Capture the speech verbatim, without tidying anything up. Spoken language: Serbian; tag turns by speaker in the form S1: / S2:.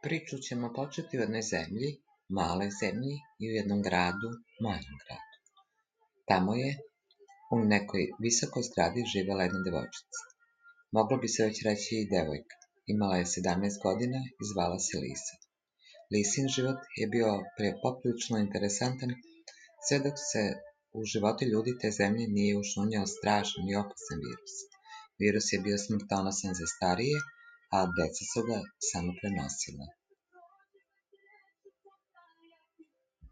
S1: Priču ćemo početi u jednoj zemlji, maloj zemlji i u jednom gradu, malom gradu. Tamo je u nekoj visokoj zgradi živela jedna devojčica. Moglo bi se već reći i devojka. Imala je sedamnaest godina i zvala se Lisa. Lisin život je bio poprilično interesantan, sve dok se u živote ljudi te zemlje nije ušunjao strašan i opasan virus. Virus je bio smrtonosan za starije, a deca su ga samo prenosila.